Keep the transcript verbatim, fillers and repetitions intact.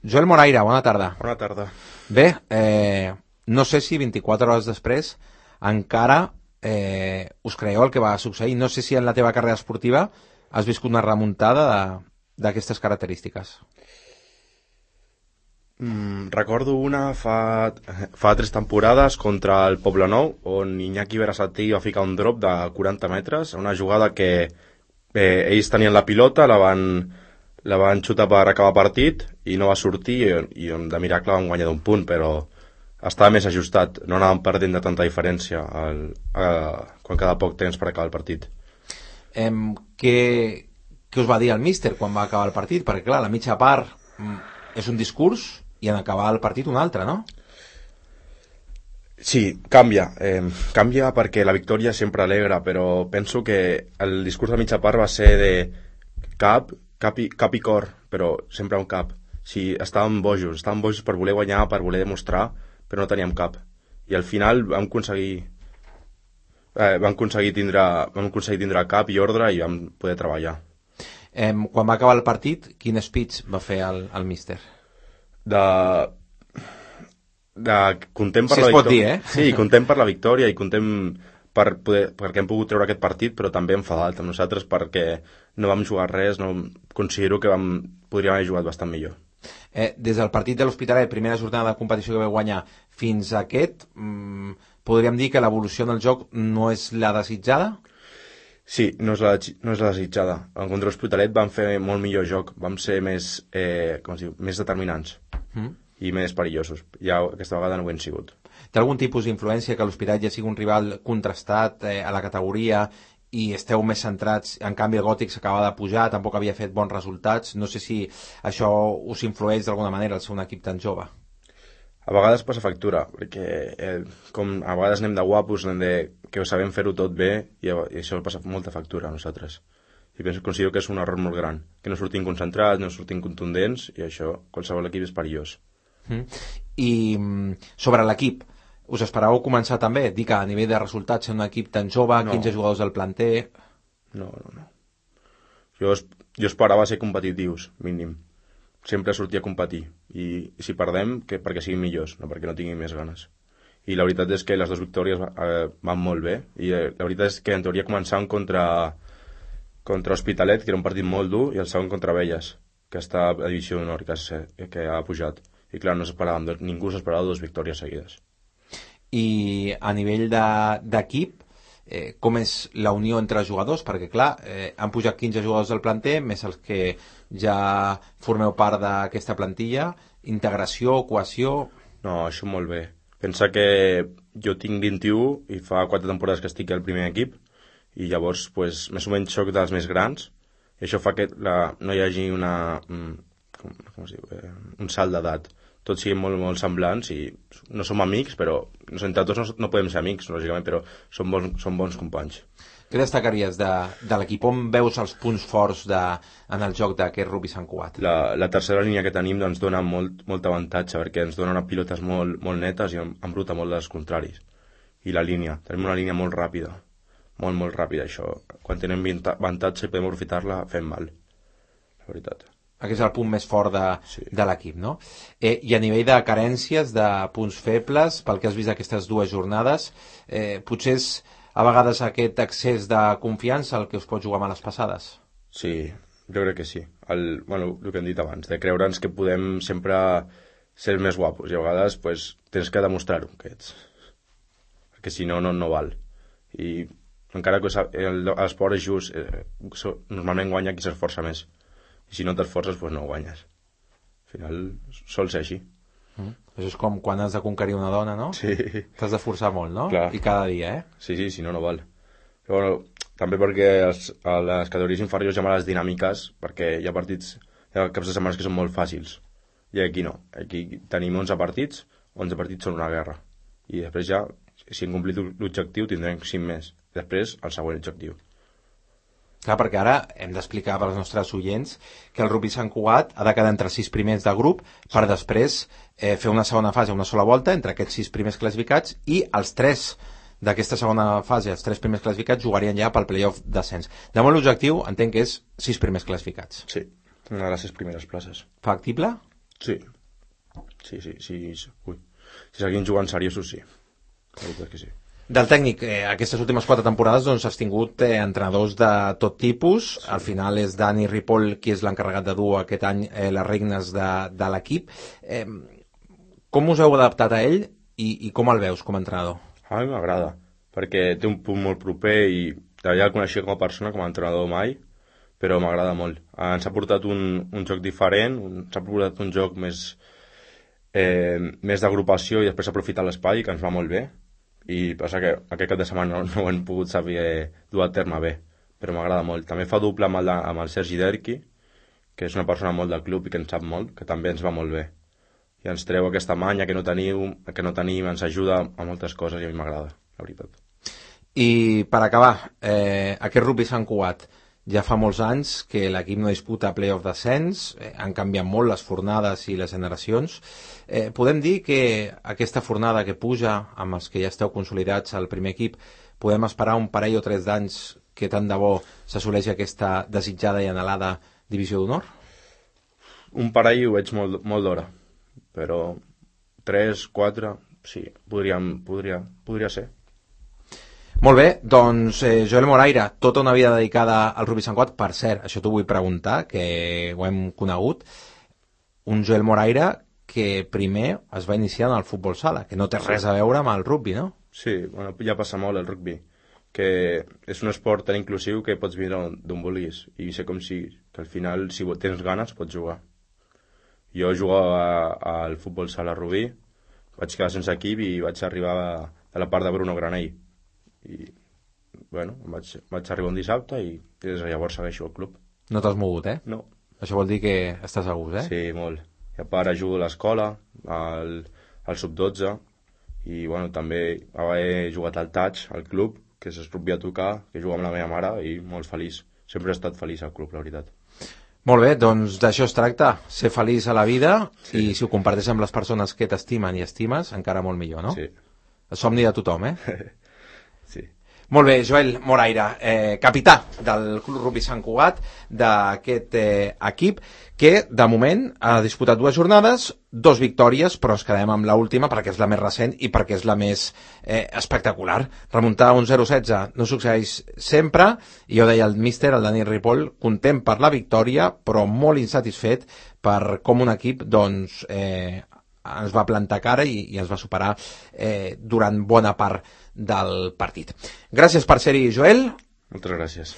Joel Moraira, bona tarda. Bona tarda. Bé, eh, no sé si vint-i-quatre hores després encara eh, us creieu el que va succeir. No sé si en la teva carrera esportiva has viscut una remuntada d'aquestes característiques. Mm, recordo una fa, fa tres temporades contra el Poblenou, on Iñaki Berasategui va ficar un drop de quaranta metres, una jugada que eh, ells tenien la pilota, la van, la van xutar per acabar partit i no va sortir, i, i de miracle van guanyar d'un punt, però estava més ajustat, no anàvem perdent de tanta diferència al, a, quan cada poc temps per acabar el partit. Eh, què, què us va dir el míster quan va acabar el partit? Perquè clar, la mitja part mm, és un discurs i en acabar el partit un altre, no? Sí, canvia. Eh, canvia perquè la victòria sempre alegra, però penso que el discurs de mitja part va ser de cap, cap i, cap i cor, però sempre un cap. Sí, estàvem bojos, estàvem bojos per voler guanyar, per voler demostrar, però no teníem cap. I al final vam aconseguir eh, vam aconseguir tindre vam aconseguir tindre cap i ordre i vam poder treballar. Eh, quan va acabar el partit, quin speech va fer el, el míster? De... de content per si la es pot victòria. dir, eh? Sí, content per la victòria i content per poder, perquè hem pogut treure aquest partit, però també enfadat amb nosaltres perquè no vam jugar res, no, considero que vam, podríem haver jugat bastant millor. Eh, des del partit de l'Hospitalet, primera jornada de competició que vau guanyar, fins a aquest, mmm, podríem dir que l'evolució en el joc no és la desitjada? Sí, no és la, no és la desitjada. En contra l'Hospitalet vam fer molt millor joc, vam ser més, eh, com es diu, més determinants mm. i més perillosos. Ja aquesta vegada no ho hem sigut. Té algun tipus d'influència que l'Hospitalet ja sigui un rival contrastat eh, a la categoria i esteu més centrats, en canvi el Gòtic s'acaba de pujar, tampoc havia fet bons resultats, no sé si això us influeix d'alguna manera al ser un equip tan jove? A vegades passa factura, perquè eh, com a vegades anem de guapos, anem de que sabem fer-ho tot bé i, i això passa molta factura a nosaltres. I penso, considero que és un error molt gran, que no sortim concentrats, no sortim contundents i això, qualsevol equip és perillós. Mm. I sobre l'equip, us esperàveu començar també? Dir que a nivell de resultats ser un equip tan jove, no. quinze jugadors del planter... No, no, no. Jo, jo esperava ser competitius, mínim. Sempre sortir a competir. I, i si perdem, que perquè siguin millors, no perquè no tinguin més ganes. I la veritat és que les dues victòries eh, van molt bé. I eh, la veritat és que en teoria començàvem contra, contra Hospitalet, que era un partit molt dur, i el segon contra Belles, que està a divisió d'honor, que, que ha pujat. I clar, no s'esperàvem, ningú s'esperava dues victòries seguides. I a nivell d'equip, de, eh, com és la unió entre els jugadors? Perquè clar, eh, han pujat quinze jugadors del planter, més els que ja formeu part d'aquesta plantilla, integració, cohesió... No, això molt bé. Pensa que jo tinc vint-i-u i fa quatre temporades que estic al primer equip i llavors, pues, més o menys soc dels més grans i això fa que la, no hi hagi una, com, com es diu, eh, un salt d'edat. Tots siguin molt, molt semblants i no som amics, però entre tots no, no podem ser amics, lògicament, però som bons, som bons companys. Què destacaries de, de l'equip? On veus els punts forts de, en el joc d'aquest Rugby Sant Cugat? La, la tercera línia que tenim ens dona molt, molt avantatge perquè ens dona pilotes molt, molt netes i embruta molt dels contraris. I la línia, tenim una línia molt ràpida, molt, molt ràpida, això. Quan tenim avantatge i podem aprofitar-la, fem mal, la veritat. Aquest és el punt més fort de, sí. de l'equip, no? Eh, I a nivell de carències, de punts febles, pel que has vist aquestes dues jornades, eh, potser és a vegades aquest excés de confiança el que us pot jugar males passades? Sí, jo crec que sí. El, bueno, el que hem dit abans, de creure'ns que podem sempre ser més guapos i a vegades pues, tens que demostrar-ho, que ets. Perquè si no, no, no val. I encara que l'esport és just, eh, normalment guanya qui s'esforça més. I si no t'esforces, doncs no guanyes. Al final, sol ser així. Mm. Això és com quan has de conquerir una dona, no? Sí. T'has de forçar molt, no? Clar. I cada dia, eh? Sí, sí, si no, no val. Però bueno, també perquè els, a les categories inferiors hi ha males dinàmiques, perquè hi ha partits, hi ha caps de setmanes que són molt fàcils. I aquí no. Aquí tenim onze partits, onze partits són una guerra. I després ja, si hem complit l'objectiu, tindrem cinc més. Després, el següent objectiu. Clar, perquè ara hem d'explicar per als nostres oients que el Rugby Sant Cugat ha de quedar entre sis primers de grup per després eh, fer una segona fase, una sola volta entre aquests sis primers classificats i els tres d'aquesta segona fase, els tres primers classificats jugarien ja pel play-off d'ascens. De molt l'objectiu entenc que és sis primers classificats. Sí, una de les sis primeres places. Factible? Sí. Sí, sí, sí. Ui. Si seguim jugant seriosos, sí. La veritat que sí. Del tècnic, eh, aquestes últimes quatre temporades doncs, has tingut eh, entrenadors de tot tipus. Sí. Al final és Dani Ripoll qui és l'encarregat de dur aquest any eh, les regnes de, de l'equip. Eh, com us heu adaptat a ell i, i com el veus com a entrenador? A mi m'agrada, perquè té un punt molt proper i ja el coneixia com a persona, com a entrenador mai, però m'agrada molt. Ens ha portat un, un joc diferent, ens ha portat un joc més, eh, més d'agrupació i després aprofitar l'espai, que ens va molt bé. I passa que aquest cap de setmana no, no ho hem pogut saber dur a terme bé, però m'agrada molt. També fa doble amb el, amb el Sergi Derqui, que és una persona molt del club i que en sap molt, que també ens va molt bé. I ens treu aquesta manya que no teniu, que no tenim, ens ajuda a moltes coses i a mi m'agrada, la veritat. I per acabar, eh, aquest rugby Sant Cugat, ja fa molts anys que l'equip no disputa playoff d'ascens, eh, han canviat molt les fornades i les generacions. Eh, podem dir que aquesta fornada que puja, amb els que ja esteu consolidats al primer equip, podem esperar un parell o tres d'anys que tant de bo s'assoleixi aquesta desitjada i anhelada divisió d'honor? Un parell ho veig molt, molt d'hora, però tres, quatre, sí, podríem, podria, podria ser. Molt bé, doncs eh, Joel Moraira, tota una vida dedicada al rugby Sant Cugat. Per cert, això t'ho vull preguntar, que ho hem conegut. Un Joel Moraira que primer es va iniciar en el futbol sala, que no té res a veure amb el rugby, no? Sí, bueno, ja passa molt el rugby, que és un esport tan inclusiu que pots vindre d'on vulguis, i sé com si, que al final, si tens ganes, pots jugar. Jo jugava al futbol sala a Rubí, vaig quedar sense equip i vaig arribar a la part de Bruno Granell. I, bueno, vaig, vaig arribar un dissabte i des de llavors segueixo el club. No t'has mogut, eh? No. Això vol dir que estàs a gust, eh? Sí, molt. I a part jugo a l'escola, al, al sub dotze, i bueno, també he jugat al Touch, al club, que és el rugby a tocar, que jugo amb la meva mare, i molt feliç. Sempre he estat feliç al club, la veritat. Molt bé, doncs d'això es tracta, ser feliç a la vida, sí. I si ho comparteixes amb les persones que t'estimen i estimes, encara molt millor, no? Sí. El somni de tothom, eh? Sí. Molt bé, Joel Moraira, eh, capità del Club Rugby Sant Cugat, d'aquest eh, equip, que de moment ha disputat dues jornades, dos victòries, però ens quedem amb l'última perquè és la més recent i perquè és la més eh, espectacular. Remuntar un zero setze no succeeix sempre, i jo deia el míster, el Dani Ripoll, content per la victòria, però molt insatisfet per com un equip doncs, eh, ens va plantar cara i, i ens va superar eh, durant bona part del partit. Gràcies per ser-hi, Joel. Moltes gràcies.